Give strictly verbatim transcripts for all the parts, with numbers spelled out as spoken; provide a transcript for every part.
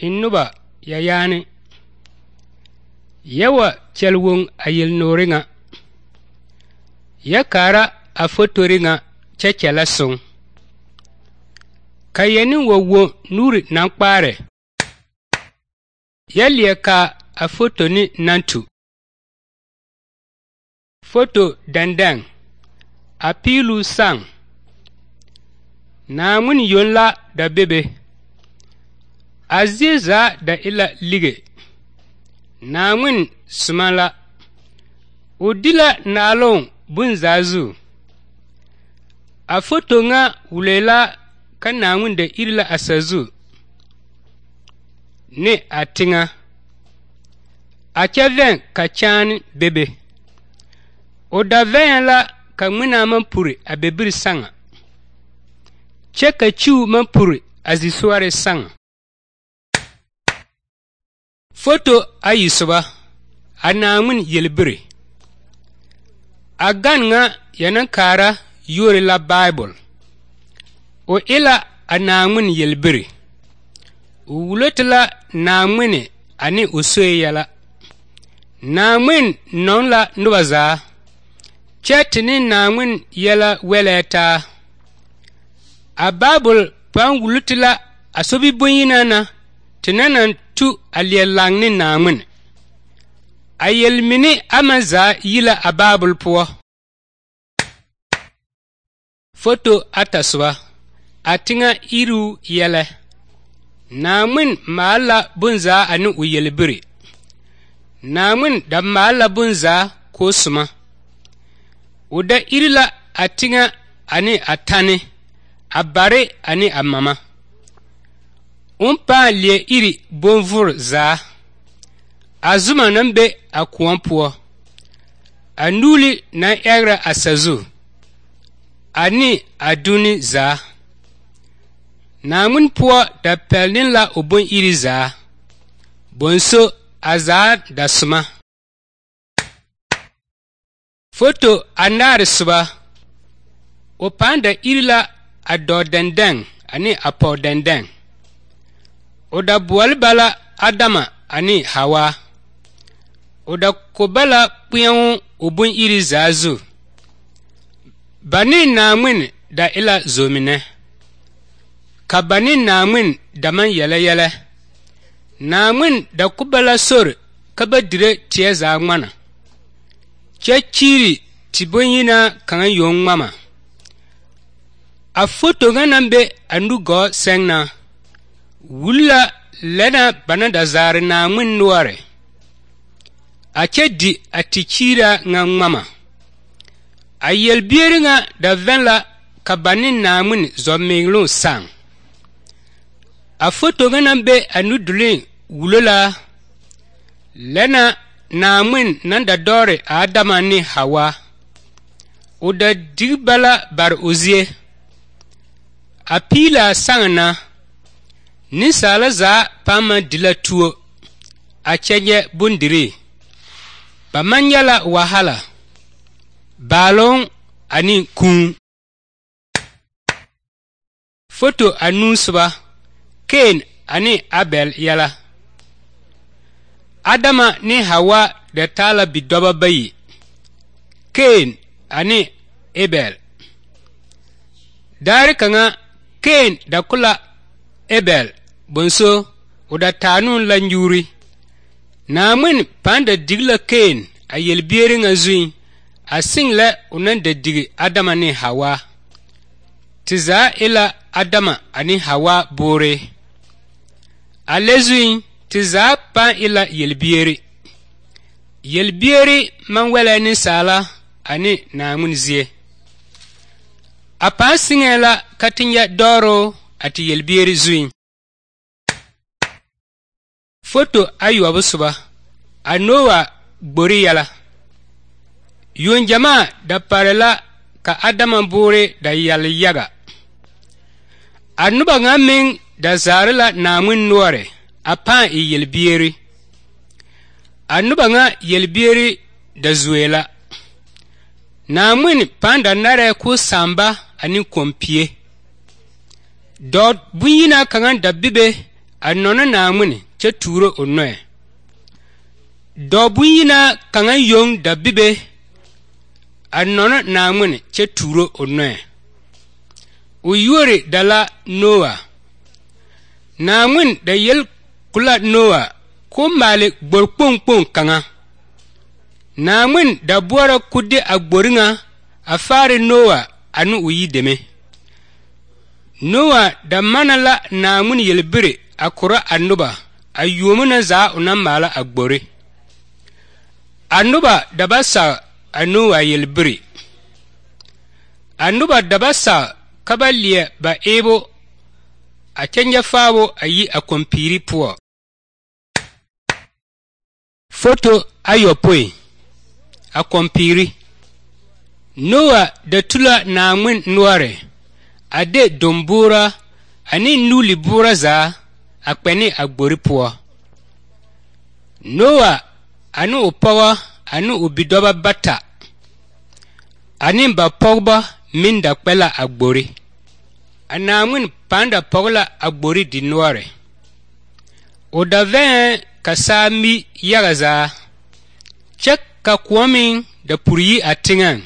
Hinnuba ya yaani yawa chelwung ayil noringa ya kara a fotoringa chechela sung kayeni wowo nuri nankpare ya lieka a fotoni nantu foto dandang a pilu sang na mun yonla da bebe aziza da ila lige na mun sumala udila nalong bunzazu a foto nga wulela ka na mun da irla asazu ne atinga a chaven ka chan bebe o da ven la ka muna man puri a bebir sanga cheka chiu man puri azisuare sanga foto ayisuba anamun yelbiri agan nga yanan kara yori la bible o ila anamun yelbiri wulotla namune ani usoyala namun non la nubaza chetini namun yala weleta a bible pan wulutla asobi bonyina na tinanan tu aliyelang ni namun ayel mini amaza yila a bible po foto ataswa atinga iru yele namun mala bunza anu uyelbiri namun da mala bunza ko suma uda irila atinga ani atane abare ani amama umpa lie iri bonvur za azuma nambe akuampo anuli na era asazu ani aduni za namun po da pelnin la obon iri za bonso aza da suma foto anar suba opanda irila ado dendeng ani apo dendeng oda buwal bala adama ani hawa oda kobala puyan obun iri zazu bani namun da ila zomine ka bani namun da man yele yele namun da kubala sor kaba dire tie za ngmana chechiri tibonyina kan yon mama a foto ganambe andugo sengna wula lena banada zare na mun nuare a chedi atichira nga mama a yelbieri nga da venla kabanin na mun zominglo sang a foto ganambe anudulin wulola lena na mun nanda dore adama ni hawa oda digbala bar ozie a pila sangna ni sala za pama dila tuo a chenye bundiri pamanyala wahala balon ani kun foto anusba Cain ani Abel yala Adama ni Hawa da tala bidoba bayi Cain ani Abel dari kanga Cain da kula Abel bonso uda tanun lanjuri namun panda digla Cain a yelbieri nga zuin a single unan da digi Adama ni Hawa tiza ila Adama ani Hawa bore a lezuin tiza pan ila yelbieri yelbieri man wela ni sala ani namun zie a pan singela katinya doro ati yelbieri zuin foto ayu abusuba anowa gbori yala yon jama da parela ka Adama bore da yal yaga anuba ngamin da zarila namun nuare apan i yelbieri anuba nga yelbieri da zuela namun panda nare ku samba ani kompie dot bunyina kangan da bibe a nɔna Naawuni kyɛ tuuro o nɔɛ. Dɔɔ bonyina kaŋa yoŋ da bibe a nɔna Naawuni kyɛ tuuro o nɔɛ. O yuori da la Noa. Naawuni da yel kula Noa k'o maale gbori kpoŋ kpoŋ kaŋa. Naawuni da boɔra k'o de a gbori ŋa a faare Noa ane o yideme. Noa da mana la Naawuni yelbire a kora a noba a yuomo na zaa o naŋ maala a gbori. A noba da ba sag a Noa yelbire. A noba da ba sag ka ba leɛ ba eebo a kyɛ nyɛ faabo a yi a kompiiri poɔ. Foto ayɔpoi a kompiiri. Noa da tula Naawuni noɔre a de domboora ane nuuli boora zaa a kpɛne a gbori poɔ. Noa ane o pɔgɔ ane o bidɔbɔ bata ane ba pɔgbɔ meŋ da kpɛ la a gbori. A Naawuni pãã da pɔge la a gbori dinoɔre. O da vɛɛ ka saa mi yaga zaa kyɛ ka kõɔ meŋ da puri yi a teŋɛŋ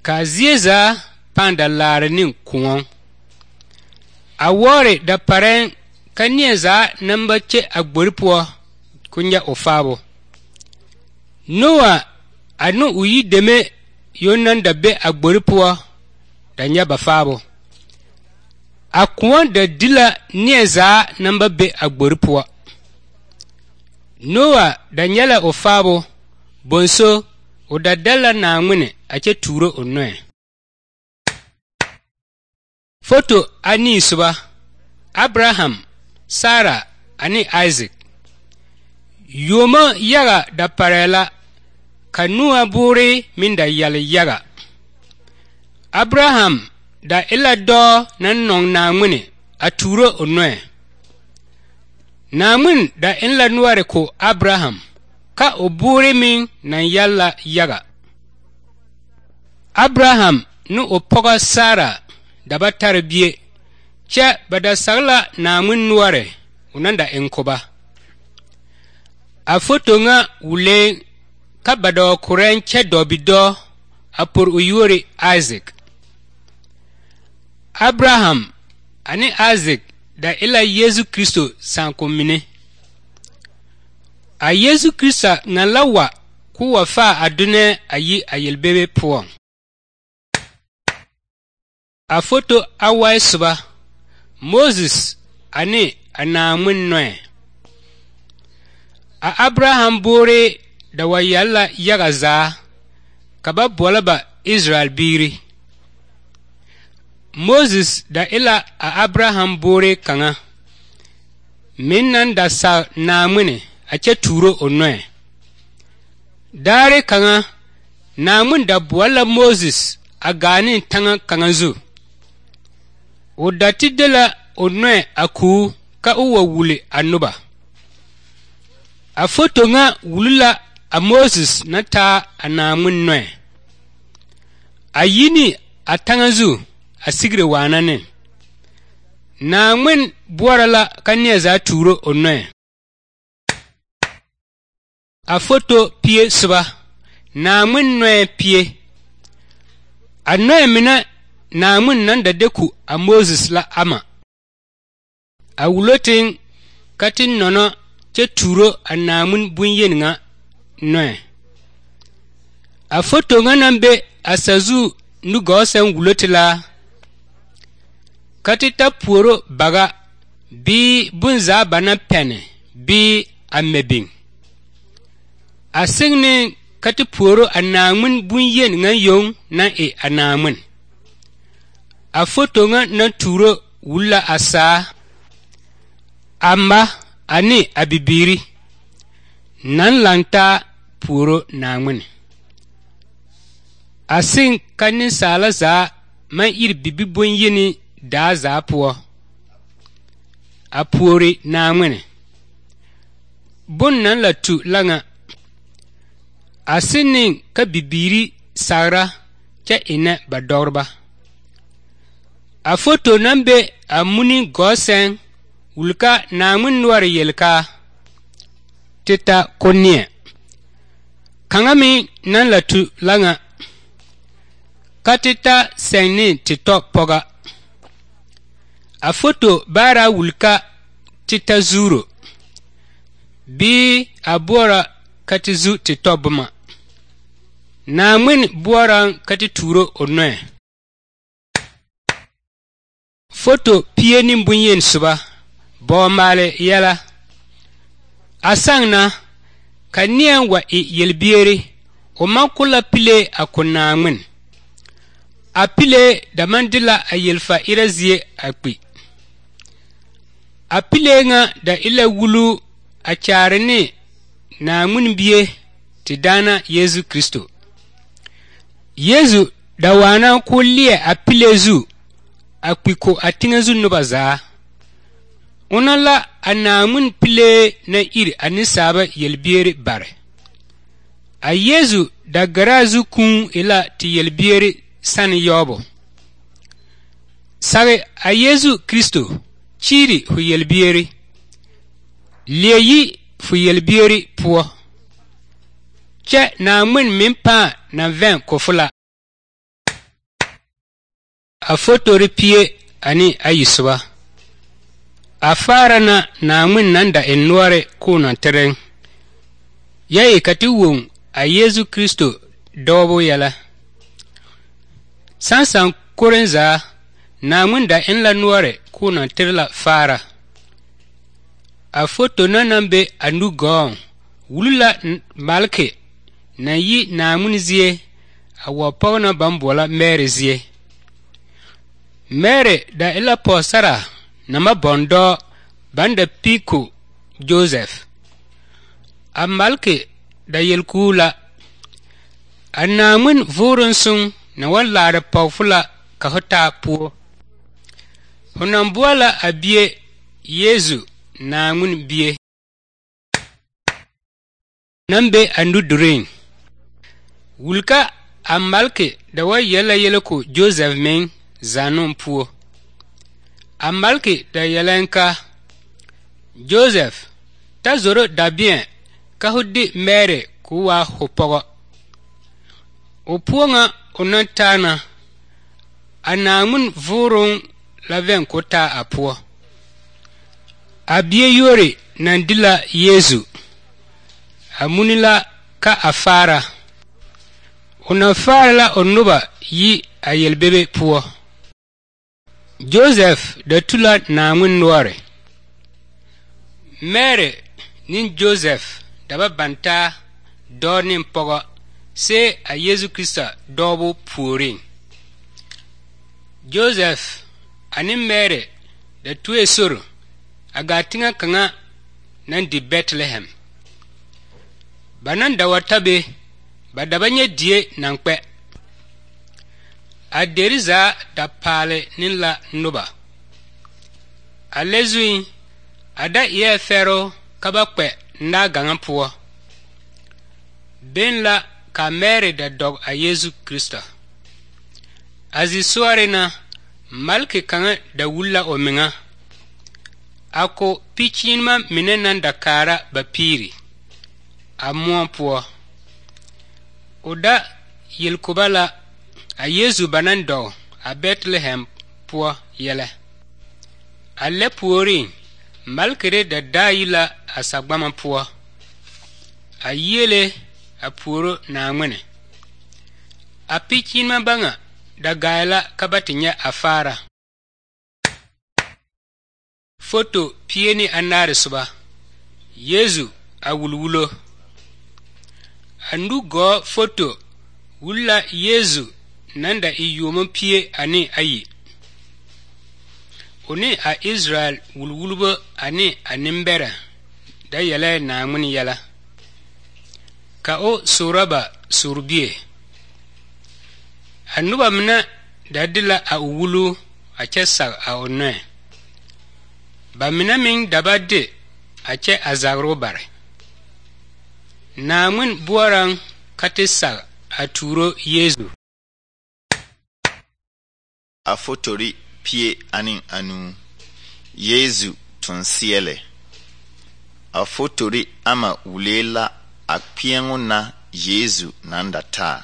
ka a zie zaa pãã da laare ne kõɔ. A wɔɔre da parɛɛŋ ka neɛ zaa naŋ ba kye a gbori poɔ k'o nyɛ o faabo. Noa ane o yideme yoŋ naŋ da be a gbori poɔ da nyɛ ba faabo. A kõɔ da di la neɛ zaa naŋ ba be a gbori poɔ. Noa da nyɛ la o faabo bonso o da dɛl la Naawuni a kyɛ tuuro o nɔɛ. Foto anii soba Abraham, Sara ane Isaac. Yuomo yaga da parɛɛ la ka Noa boore meŋ da yɛle yaga. Abraham da e la dɔɔ naŋ nɔŋ Naawuni a tuuro o nɔɛ. Naawuni da eŋ la noɔre ko Abraham ka o boore meŋ naŋ yɛle la yaga. Abraham ne o pɔgɔ Sara da ba tare bie kyɛ ba da sag la Naawuni noɔre o naŋ da eŋ ko ba. A foto ŋa wulee ka ba da wa korɛŋ kyɛ dɔ bidɔɔ a por o yuori Isaac. Abraham ane Isaac da e la Yesu Kristo sããkom mine. A Yesu Kristo ŋa la wa k'o wa faa a donɛɛ a yi a yelbebe poɔŋ. A foto awai soba Moses ane a Naawuni nɔɛ. A Abraham boore da wa yɛle la yaga zaa ka ba boɔlɔ ba Israel biiri. Moses da e la a Abraham boore kaŋa meŋ naŋ da sag Naawuni a kyɛ tuuro o nɔɛ. Daare kaŋa Naawuni da boɔle la Moses a gaa ne taŋa kaŋa zu. O da ti de la o nɔɛ a kuu ka o wa wuli a noba. A foto ŋa wuli la a Moses na taa a Naawuni nɔɛ. A yi ne a taŋa zu a sigire waana ne. Naawuni boɔra la ka neɛ zaa tuuro o nɔɛ. A foto pie soba Naawuni nɔɛ pie. A nɔɛ mine Naawuni naŋ da de ku a Moses la ama. A wulo teŋ ka te nɔnɔ kyɛ tuuro a Naawuni bonyeni ŋa nɔɛ. A foto ŋa naŋ be a sazu nugɔɔ sɛŋ wulo te la ka te ta puoro baga bii bonzaa ba na pɛne bii a mɛ biŋ. A seŋne ka te puoro a Naawuni bonyeni ŋa yoŋ naŋ e a Naawuni. A foto ŋa naŋ tuuro wuli la a saa a ma ane a bibiiri naŋ lantaa puoro Naawuni. A seŋ ka nensaala zaa maŋ iri bibi bonyeni daa zaa poɔ a puori Naawuni. Bon naŋ la tu la ŋa a seŋ ne ka bibiiri sagra kyɛ ennɛ ba dɔgreba. A foto naŋ be a muni gɔɔ sɛŋ wulka naamun nuwar yelka tita konnie kangami nan la tu langa katita sengni tito poga a foto bara wulka tita zuro bi abora katizu tito buma naamun buoran katituro onwe foto pieni bunyen suba bo male yala asangna kanian wa i yelbieri o makula pile akunaamun a pile da mandila a yelfa irazie akpi a pile nga da ila wulu a charni naamun biye ti dana Yesu Kristo Yesu da wana kullie a pile zu akpi ko atingazu nubaza unala anamun pile na iri anisaba yelbieri bare a Yesu da garazu kun ila ti yelbieri san yobo sare a Yesu Kristo chiri hu yelbieri leyi fu yelbieri puo che namun mimpa na ven kofula a foto ripie ani ayisuba a fara na namun nanda enware kuna tereng yayi katiwun a Yesu Kristo dobo yala sansan korenza namun da en la nuare kuna terla fara a foto na nambe anu gong wulula malke na yi namun zie a wapona bambola mere zie mere da ila posara nama bondo banda piko Joseph a malke da yelkula a namun vurun sun na wallara pawfula ka hota puo hunan buwala a biye Yesu namun biye nambe andu durin wulka a malke da wa yela yelko Joseph men zanun puo a malke da yelenka Joseph ta zoro da bien ka hudi mere kuwa hopogo o puo nga onantana a namun vurun laven kota a puo a biye yore nandila Yesu a munila ka a fara una fara la onuba yi a yelbebe puo Joseph da tula namun nuare mere nin Joseph daba banta dornin pogo se a Yesu Krista dobo puorin Joseph ani mere da tuwe soro aga tinga kanga nan di Bethlehem banan da watabe badabanye die nankpe a deriza da pale ninla nuba a lezuin ada iye fero kabakpe nda gangan puo ben la ka mere da dog a Yesu Krista azi suare na malke kanga da wulla o minga ako pichinma minenan da kara bapiri a muon puo oda yelkubala a Yesu banan do a Bethlehem puo yele a le puori malkere da dayila a sagbama puo a yele a puoro na ngwene a pichinma banga da gaila kabatinya a fara foto pieni anare suba Yesu a wulwulo andu go foto wulla Yesu nanda iyumo pie ani ayi oni a Israel wulwulbo ani animbera da yele na mun yala ka o suraba surbie anuba mna dadila a wulu a chesa a onne ba mina min dabade a che azagro bare na mun buaran katisa a turo Yesu a fotori pie anin anu Yesu tonsiele. A fotori ama wulela a kpiengu na Yesu nandata.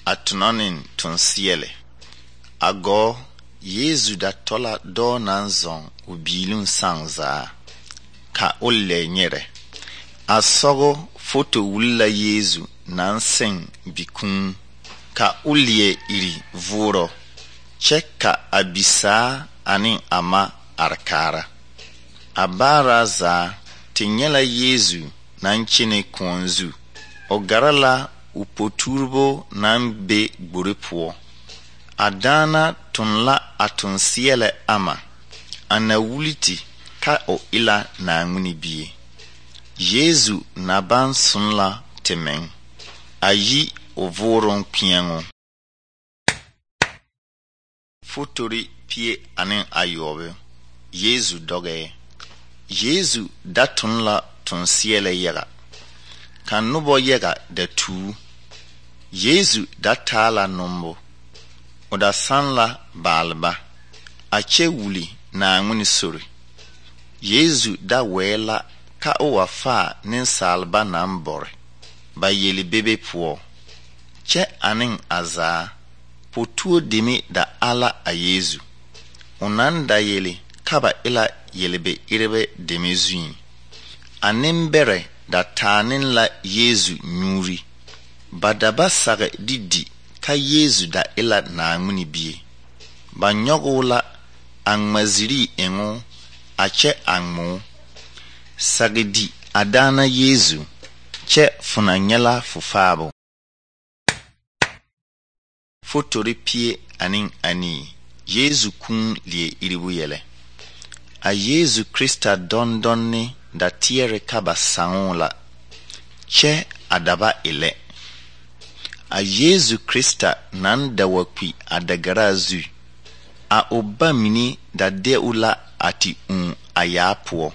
A tunonin tonsiele. A go Yesu da tola do nanzon ubilun sangza. Ka ole nyere. A sogo foto wula Yesu nanseng bikun. Ka ulie iri vuro. Cheka abisa anin ama arkara. Abara za tinyela Yesu nanchine konzu. Ogarala upoturbo nambe gburipuo. Adana tunla atunsiele ama. Anawuliti ka o ila na nguni biye. Yesu naban sunla temeng. Ayi ovoron piengo. Fotori pie anin ayobe. Yesu doge. Yesu datunla tonsiele yega. Kan nubo yega da tu. Yesu datala nombo. Oda sanla balba. Ache wuli na nguni sori. Yesu da wela ka o wafa nin salba na mbore. Ba yeli bebe puo. Che anin aza. Potuo dimi da ala a Yesu. Unanda yeli kaba ila yelebe irebe demizuin. Animbere da tanin la Yesu nyuri. Badaba sage didi ka Yesu da ila na nguni bie. Banyogo la angmaziri engo ache angmo. Sage di adana Yesu che funanyela fufabo. Fotori pie anin ani. Yesu kun lie iribu yele. A Yesu Krista don donni da tiere kaba sangola. Che adaba ile. A Yesu Krista nan da wakwi adagara zu. A oba mini da deula ati un ayapuo.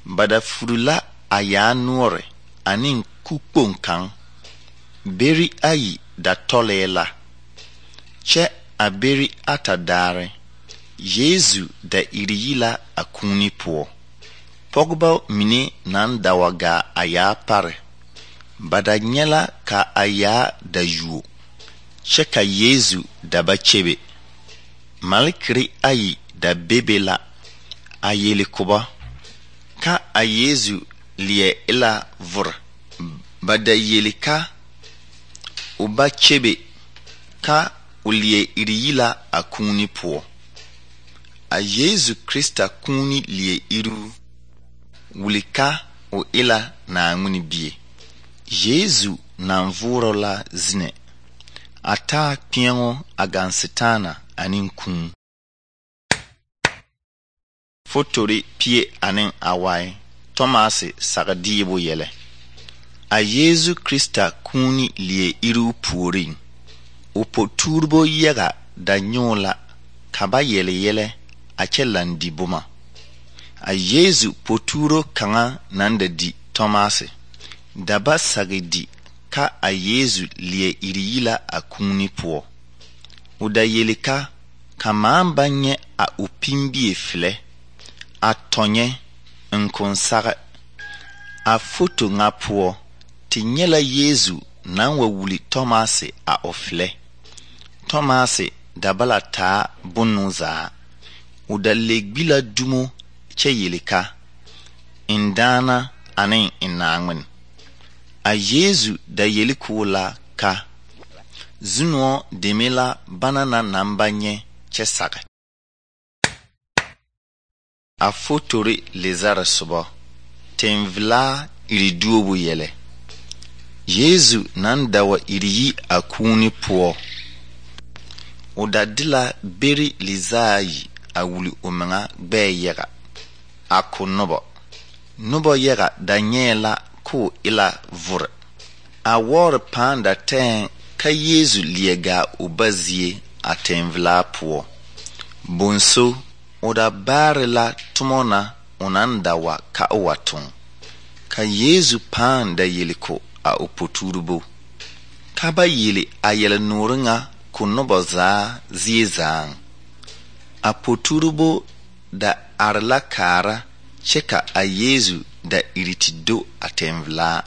Bada furula aya nuore anin kukpon kan. Beri ayi da tolela. Che aberi atadare. Yesu da iriyila akuni puo. Pogba mini nan dawaga aya pare. Bada nyela ka aya da yuo. Che ka Yesu da bachebe. Malikri ayi da bebela. Ayeli kuba. Ka a Yesu liye ila vur. Bada yeli ka uba chebe. Ka ulie iriyila akuni puo. A Yesu Krista kuni liye iru. Wulika o ila na nguni bie. Yesu na mvuro la zine. Ata piengo agansitana anin kun. Fotori pie anin awai. Tomasi sagadibo yele. A Yesu Krista kuni liye iru puorin. Upo turbo yega da nyola kaba yele yele ache landi buma. A Yesu poturo kanga nanda di Tomasi. Daba sagedi ka a Yesu liye iriyila akuni puo. Uda yele ka kamamba nye a upimbi efile. A tonye nkonsare. A foto nga puo. Tinyela Yesu nanwa wuli Tomasi a ofile. Tomasi dabala ta bunuza. Uda legbila dumo che yelika. Indana anin inangwen. A Yesu da yelikula ka. Zuno demela banana nambanye che sage. A fotori lezara subo. Tenvla iriduobu yele. Yesu nandawa iriyi akuni puo. Udadila beri lizayi awuli omanga gbe yega. Ako nobo. Nobo yega danyela ko ila vur. A war panda ten ka Yesu liega ubazie atenvla puo. Bonso oda barila tumona unandawa ka waton. Ka Yesu panda yeliko a opoturbo. Kaba yele ayele nuringa kunobo za ziezang. A poturbo da are la kaara kyɛ ka a Yeesu da iri te do a tɛnvelaa.